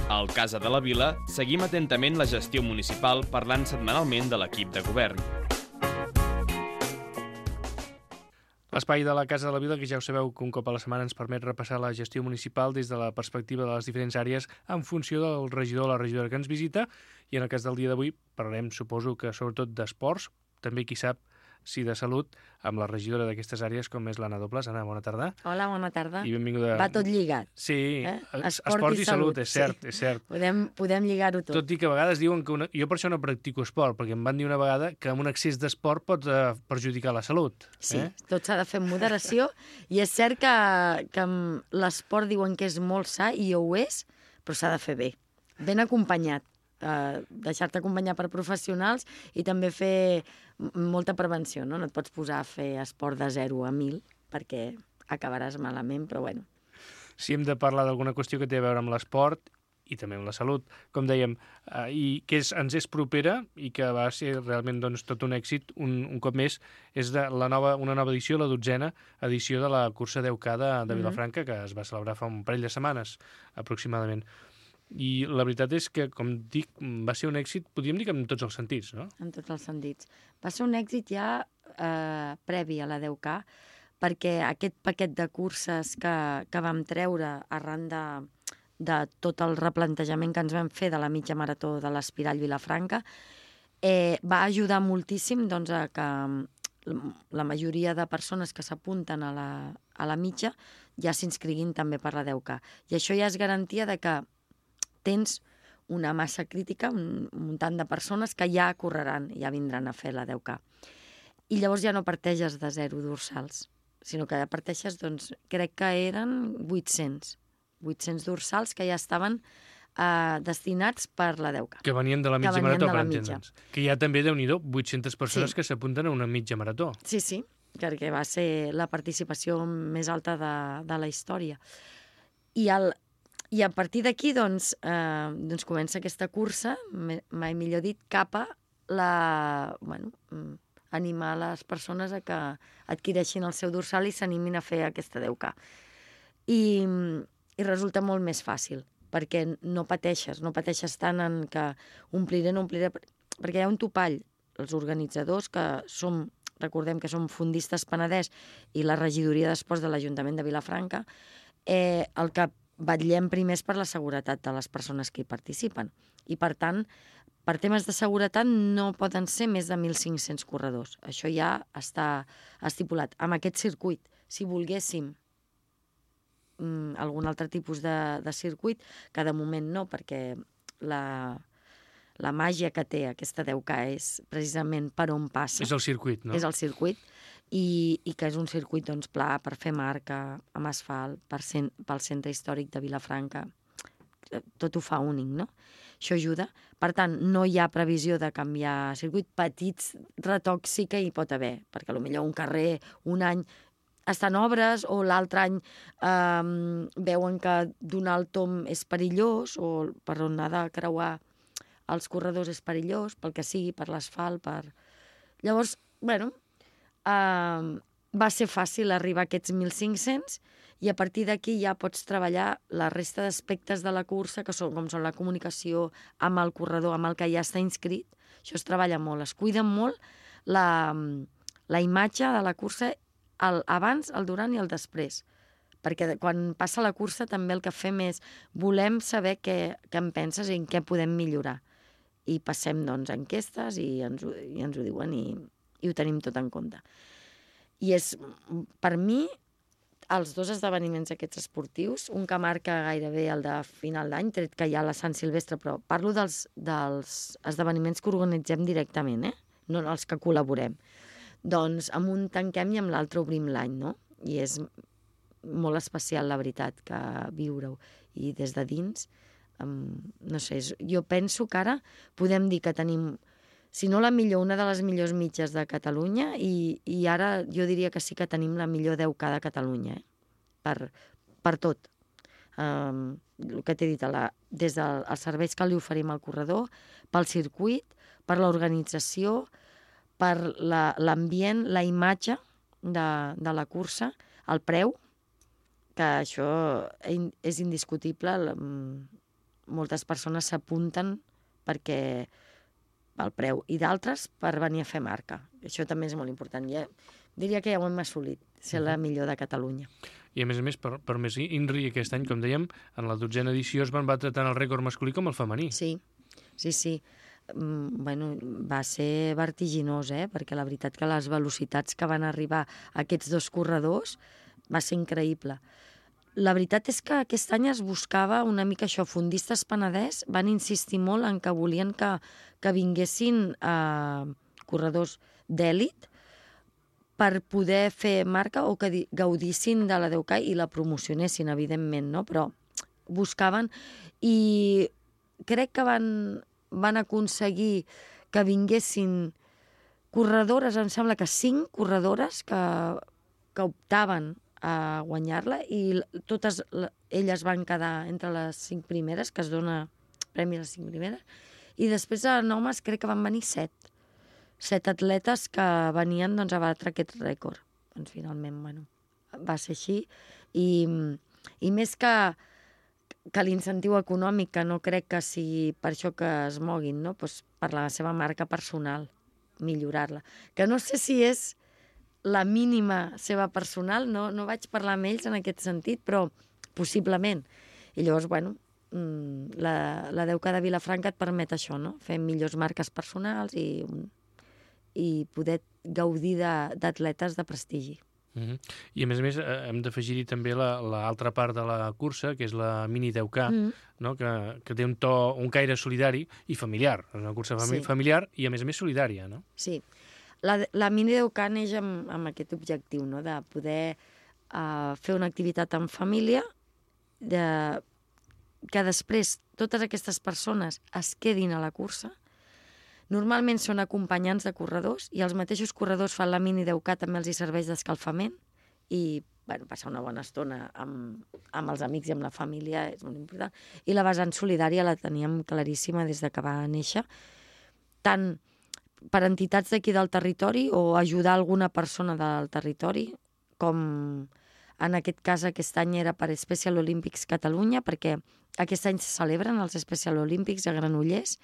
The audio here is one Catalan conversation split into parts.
Al Casa de la Vila seguim atentament la gestió municipal parlant setmanalment de l'equip de govern. L'espai de la Casa de la Vila, que ja ho sabeu que un cop a la setmana ens permet repassar la gestió municipal des de la perspectiva de les diferents àrees en funció del regidor o la regidora que ens visita, i en el cas del dia d'avui parlarem, suposo que sobretot d'esports, també qui sap si de salut, amb la regidora d'aquestes àrees com és l'Anna Dobles. Anna, bona tarda. Hola, bona tarda. I benvinguda. Va tot lligat. Sí, Esport i salut, és cert, sí. És cert. Podem lligar-ho tot. Tot i que a vegades diuen que jo per això no practico esport, perquè em van dir una vegada que amb un excés d'esport pot perjudicar la salut. Sí, tot s'ha de fer amb moderació, i és cert que l'esport diuen que és molt sa, i ho és, però s'ha de fer bé, ben acompanyat. Deixar-te acompanyar per professionals i també fer molta prevenció, no? No et pots posar a fer esport de 0 a 1000 perquè acabaràs malament, però bueno. Si hem de parlar d'alguna qüestió que té a veure amb l'esport i també amb la salut, com dèiem, i que ens és propera i que va ser realment tot un èxit, un cop més, és una nova edició, la 12a edició de la cursa 10K de Vilafranca, que es va celebrar fa un parell de setmanes, aproximadament. I la veritat és que, com dic, va ser un èxit, podríem dir que en tots els sentits, no? En tots els sentits. Va ser un èxit ja previ a la 10K, perquè aquest paquet de curses que vam treure arran de tot el replantejament que ens vam fer de la mitja marató de l'Espirall Vilafranca va ajudar moltíssim doncs, a que la majoria de persones que s'apunten a la mitja ja s'inscriguin també per la 10K. I això ja és garantia de que tens una massa crítica, un tant de persones que ja correran, ja vindran a fer la 10K. I llavors ja no parteixes de 0 dorsals, sinó que ja parteixes, doncs, crec que eren 800 dorsals que ja estaven destinats per la 10K. Que venien de la mitja marató, per entendre'ns. Que hi ha també, Déu-n'hi-do, 800 persones que s'apunten a una mitja marató. Sí, perquè va ser la participació més alta de la història. I a partir d'aquí, doncs, comença aquesta cursa, mai millor dit, cap a animar les persones a que adquireixin el seu dorsal i s'animin a fer aquesta 10K. I resulta molt més fàcil, perquè no pateixes tant en que ompliré, perquè hi ha un topall. Els organitzadors, que recordem que som Fondistes Penedès i la regidoria d'esports de l'Ajuntament de Vilafranca, el que vetllem primer per la seguretat de les persones que hi participen. I, per tant, per temes de seguretat no poden ser més de 1.500 corredors. Això ja està estipulat. Amb aquest circuit, si volguéssim algun altre tipus de circuit, que de moment no, perquè la màgia que té aquesta 10K és precisament per on passa. És el circuit, no? És el circuit, i que és un circuit doncs, pla per fer marca, amb asfalt, pel centre històric de Vilafranca. Tot ho fa únic, no? Això ajuda. Per tant, no hi ha previsió de canviar circuit. Petits retocs sí que hi pot haver, perquè potser un carrer un any està en obres, o l'altre any veuen que donar el tomb és perillós, o per on ha de creuar els corredors és perillós, pel que sigui, per l'asfalt, Llavors, va ser fàcil arribar a aquests 1.500, i a partir d'aquí ja pots treballar la resta d'aspectes de la cursa, com són la comunicació amb el corredor, amb el que ja està inscrit. Això es treballa molt, es cuida molt la imatge de la cursa, abans, el durant i el després. Perquè quan passa la cursa també el que fem és volem saber què en penses i en què podem millorar. I passem, doncs, enquestes i ens ho diuen i ho tenim tot en compte. I és, per mi, els dos esdeveniments aquests esportius, un que marca gairebé el de final d'any, tret que hi ha la Sant Silvestre, però parlo dels esdeveniments que organitzem directament, no els que col·laborem. Doncs amb un tanquem i amb l'altre obrim l'any, no? I és molt especial, la veritat, que viure-ho. I des de dins, no sé, jo penso que ara podem dir que tenim, si no la millor, una de les millors mitges de Catalunya, i ara jo diria que sí que tenim la millor 10K de Catalunya, per tot. El que t'he dit, des dels serveis que li oferim al corredor, pel circuit, per l'organització, per l'ambient, la imatge de la cursa, el preu, que això és indiscutible, moltes persones s'apunten perquè pel preu, i d'altres per venir a fer marca. Això també és molt important. Ja, diria que ja ho hem assolit, ser la millor de Catalunya. I a més, per més INRI aquest any, com dèiem, en la 12a edició es van batre tant el rècord masculí com el femení. Sí. Bueno, va ser vertiginós, perquè la veritat que les velocitats que van arribar aquests dos corredors va ser increïble. La veritat és que aquest any es buscava una mica això. Fondistes Penedès van insistir molt en que volien que vinguessin corredors d'èlit per poder fer marca o que gaudissin de la 10K i la promocionessin, evidentment, no? Però buscaven i crec que van aconseguir que vinguessin corredores, em sembla que 5 corredores que optaven a guanyar-la i totes elles van quedar entre les 5 primeres, que es dona premi a les 5 primeres, i després en homes crec que van venir 7 atletes que venien doncs, a batre aquest rècord. Doncs finalment, bueno, va ser així. I més que l'incentiu econòmic, que no crec que sigui per això que es moguin, no? Pues per la seva marca personal, millorar-la. Que no sé si és la mínima seva personal, no vaig parlar amb ells en aquest sentit, però possiblement. I llavors, bueno, la 10K de Vilafranca et permet això, no? Fer millors marques personals i poder gaudir d'atletes de prestigi. I a més hem d'afegir-hi també l'altra part de la cursa, que és la mini 10K, no? que té un caire solidari i familiar. És una cursa familiar i a més solidària, no? Sí. La mini 10K neix amb aquest objectiu, no? De poder fer una activitat en família, que després totes aquestes persones es quedin a la cursa. Normalment són acompanyants de corredors i els mateixos corredors fan la mini 10K, també els hi serveix d'escalfament i bueno, passar una bona estona amb els amics i amb la família és molt important. I la vessant solidària la teníem claríssima des de que va néixer, tant per entitats d'aquí del territori o ajudar alguna persona del territori, com en aquest cas aquest any era per Special Olympics Catalunya, perquè aquest any se celebren els Special Olympics a Granollers,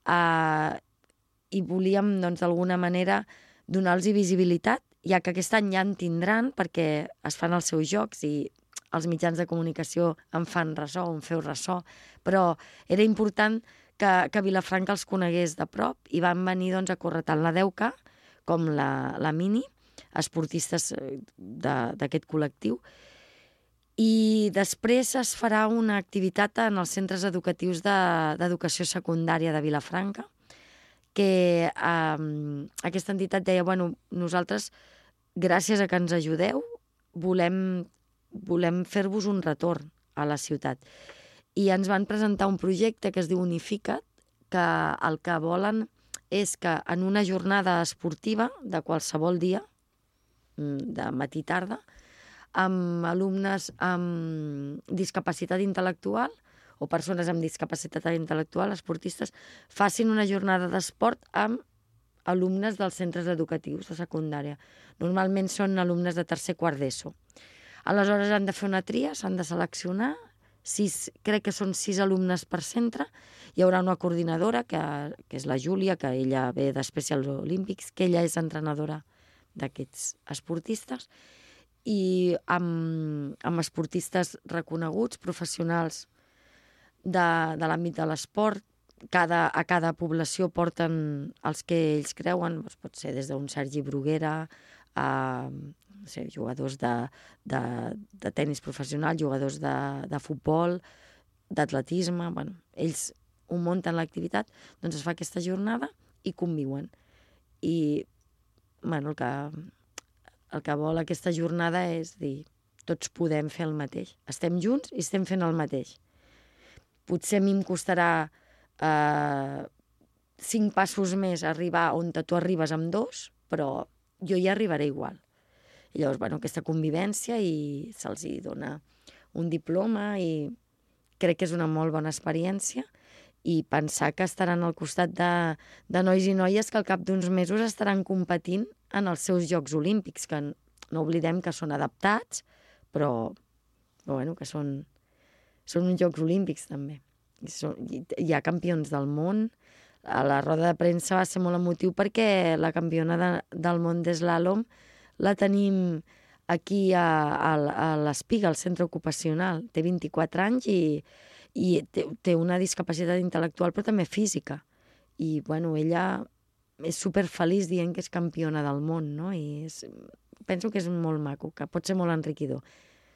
i volíem, doncs, d'alguna manera donar-los visibilitat, ja que aquest any ja en tindran, perquè es fan els seus jocs i els mitjans de comunicació en fan ressò, en feu ressò, però era important que Vilafranca els conegués de prop i van venir doncs, a córrer tant la 10K com la mini, esportistes d'aquest col·lectiu. I després es farà una activitat en els centres educatius d'educació secundària de Vilafranca, que aquesta entitat deia, bueno, nosaltres, gràcies a que ens ajudeu, volem fer-vos un retorn a la ciutat. I ens van presentar un projecte que es diu Unifica't, que el que volen és que en una jornada esportiva de qualsevol dia, de matí i tarda, amb alumnes amb discapacitat intel·lectual o persones amb discapacitat intel·lectual, esportistes, facin una jornada d'esport amb alumnes dels centres educatius de secundària. Normalment són alumnes de tercer, quart d'ESO. Aleshores han de fer una tria, s'han de seleccionar, crec que són 6 alumnes per centre, hi haurà una coordinadora, que és la Júlia, que ella ve de Special Olympics, que ella és entrenadora d'aquests esportistes, i amb esportistes reconeguts, professionals de l'àmbit de l'esport. A cada població porten els que ells creuen, doncs pot ser des d'un Sergi Bruguera a jugadors de tenis professional, jugadors de futbol, d'atletisme. Bueno, ells ho munten l'activitat, doncs es fa aquesta jornada i conviuen. I bueno, el que vol aquesta jornada és dir, tots podem fer el mateix. Estem junts i estem fent el mateix. Potser a mi em costarà 5 passos més arribar on tu arribes amb 2, però jo hi arribaré igual. I llavors, bueno, aquesta convivència i se'ls dona un diploma i crec que és una molt bona experiència i pensar que estaran al costat de nois i noies que al cap d'uns mesos estaran competint en els seus Jocs Olímpics, que no oblidem que són adaptats, però bueno, que són uns Jocs Olímpics també. Hi ha campions del món. A la roda de premsa va ser molt emotiu perquè la campiona del món d'eslàlom la tenim aquí a l'Espiga, al centre ocupacional. Té 24 anys i té una discapacitat intel·lectual però també física. I, bueno, ella és superfeliç dient que és campiona del món, no? I penso que és molt maco, que pot ser molt enriquidor.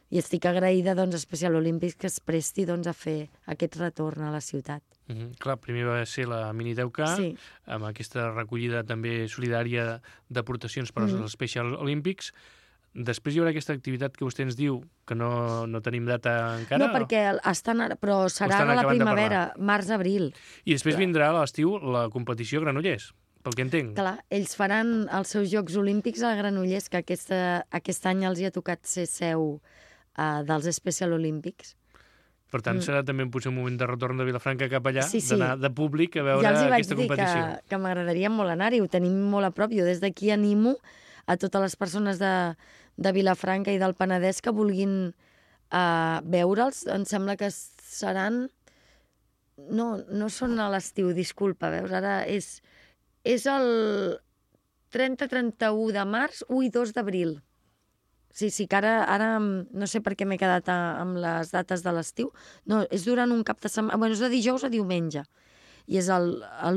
I estic agraïda, doncs, a Special Olympics que es presti, doncs, a fer aquest retorn a la ciutat. Clar, primer va ser la Mini 10K, Sí. amb aquesta recollida també solidària d'aportacions per als Special Olympics. Després hi haurà aquesta activitat que vostè ens diu, que no tenim data encara? No, perquè estan ara, però serà estan a la acabant de primavera, març-abril. I després vindrà a l'estiu la competició a Granollers, pel que entenc. Clar, ells faran els seus Jocs Olímpics a Granollers, que aquest any els hi ha tocat ser seu dels Special Olympics. Per tant, serà també potser un moment de retorn de Vilafranca cap allà, Sí. d'anar de públic a veure Ja els hi vaig aquesta dir competició. que m'agradaria molt anar-hi, ho tenim molt a prop. Jo des d'aquí animo a totes les persones de Vilafranca i del Penedès que vulguin veure'ls. Em sembla que seran... No són a l'estiu, disculpa, veus? Ara és el 30-31 de març, 1 i 2 d'abril. Sí, que ara no sé per què m'he quedat amb les dates de l'estiu. No, és durant un cap de setmana... Bueno, és de dijous a diumenge. I és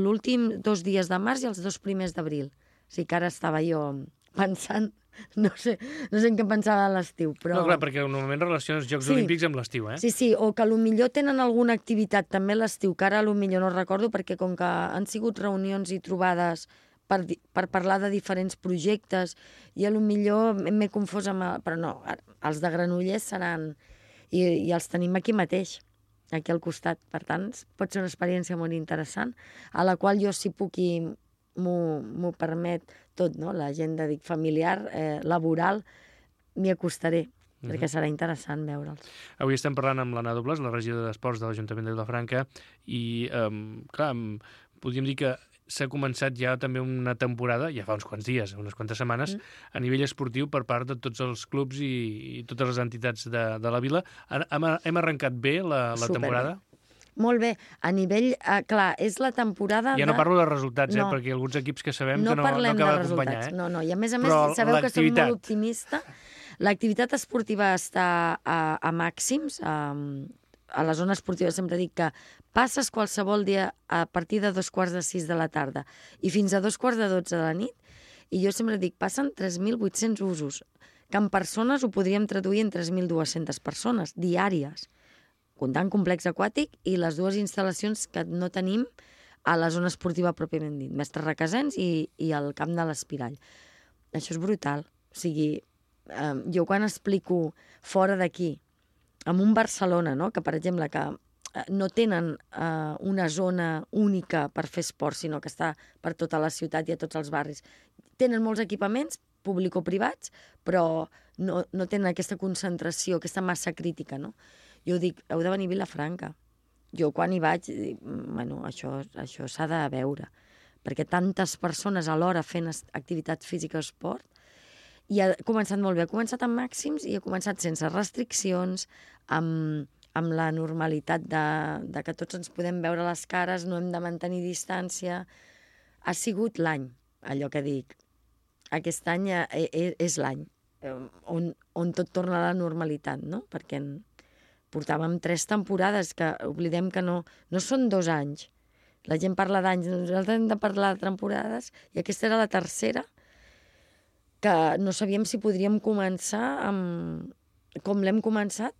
l'últim 2 dies de març i els 2 primers d'abril. Sí que ara estava jo pensant... No sé en què pensava a l'estiu, però... No, clar, perquè normalment relaciones Jocs Olímpics amb l'estiu, eh? Sí, o que potser tenen alguna activitat també a l'estiu, que ara potser no recordo, perquè com que han sigut reunions i trobades per parlar de diferents projectes, i potser m'he confós amb... Però no, els de Granollers seran... I els tenim aquí mateix, aquí al costat. Per tant, pot ser una experiència molt interessant, a la qual jo, si puc i m'ho permet tot, no? L'agenda, familiar, laboral, m'hi acostaré, perquè serà interessant veure'ls. Avui estem parlant amb l'Anna Dobles, la regidora d'Esports de l'Ajuntament de Vilafranca, i, clar, podríem dir que s'ha començat ja també una temporada, ja fa uns quants dies, unes quantes setmanes, a nivell esportiu per part de tots els clubs i totes les entitats de la vila. Hem arrencat bé la temporada? Molt bé. A nivell... clar, és la temporada Ja no parlo de resultats, perquè alguns equips que sabem que no acaba d'acompanyar. No, i a més, sabeu que soc molt optimista. L'activitat esportiva està a màxims. A la zona esportiva sempre dic que passes qualsevol dia a partir de 2:45 de la tarda i fins a 2:45 de la nit, i jo sempre dic, passen 3.800 usos, que en persones ho podríem traduir en 3.200 persones diàries, comptant complex aquàtic i les 2 instal·lacions que no tenim a la zona esportiva pròpiament dit, Mestre Requesens i el camp de l'Espirall. Això és brutal. O sigui, jo quan explico fora d'aquí, en un Barcelona, no? Que per exemple que no tenen una zona única per fer esport, sinó que està per tota la ciutat i a tots els barris. Tenen molts equipaments, público-privats, però no tenen aquesta concentració, aquesta massa crítica, no? Jo dic, heu de venir a Vilafranca. Jo quan hi vaig, dic, bueno, això s'ha de veure, perquè tantes persones alhora fent activitat física o esport, i ha començat molt bé, ha començat amb màxims i ha començat sense restriccions, amb la normalitat de que tots ens podem veure les cares, no hem de mantenir distància. Ha sigut l'any, allò que dic. Aquest any és l'any on tot torna a la normalitat, no? Perquè portàvem 3 temporades, que oblidem que no són 2 anys. La gent parla d'anys, nosaltres hem de parlar de temporades, i aquesta era la tercera, que no sabíem si podríem començar com l'hem començat,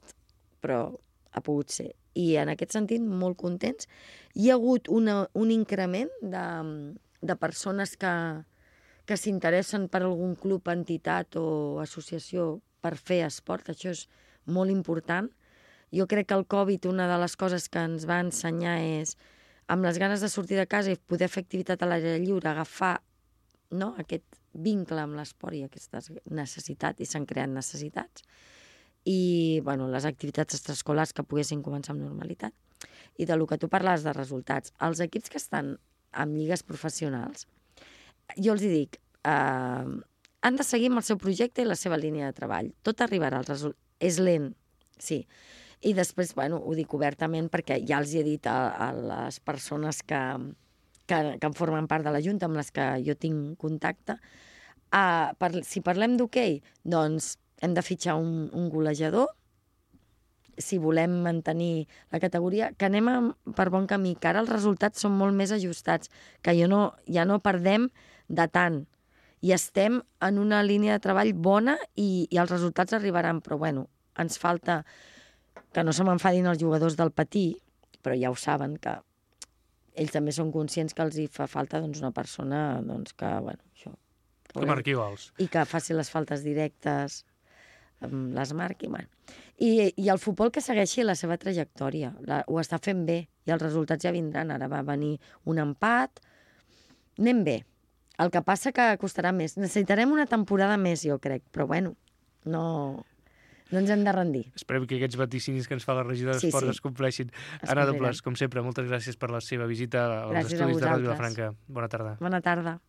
però ha pogut ser. I en aquest sentit, molt contents. Hi ha hagut un increment de persones que s'interessen per algun club, entitat o associació per fer esport. Això és molt important. Jo crec que el Covid, una de les coses que ens va ensenyar és, amb les ganes de sortir de casa i poder fer activitat a l'aire lliure, agafar aquest vincle amb l'esport i aquestes necessitats, i s'han creat necessitats, i les activitats extraescolars que poguessin començar amb normalitat. I del que tu parlaves de resultats, els equips que estan en lligues professionals, jo els dic, han de seguir amb el seu projecte i la seva línia de treball. Tot arribarà als resultats. És lent, sí. I després, bueno, ho dic obertament perquè ja els he dit a les persones que en formen part de la Junta, amb les que jo tinc contacte. Si parlem d'hoquei, doncs hem de fitxar un golejador, si volem mantenir la categoria, que anem per bon camí, que ara els resultats són molt més ajustats, que ja no perdem de tant, i estem en una línia de treball bona i els resultats arribaran, però bueno, ens falta que no se m'enfadin els jugadors del patí, però ja ho saben, que ells també són conscients que els hi fa falta una persona que, bueno, això... Que marqui gols. I que faci les faltes directes, les marqui, bueno. I el futbol que segueixi la seva trajectòria, ho està fent bé, i els resultats ja vindran. Ara va venir un empat, anem bé. El que passa que costarà més. Necessitarem una temporada més, jo crec, però bueno, no ens hem de rendir. Esperem que aquests vaticinis que ens fa la regidora d'Esports es compleixin. Anna Dobles, com sempre, moltes gràcies per la seva visita als estudis de Ràdio Vilafranca. Bona tarda. Bona tarda.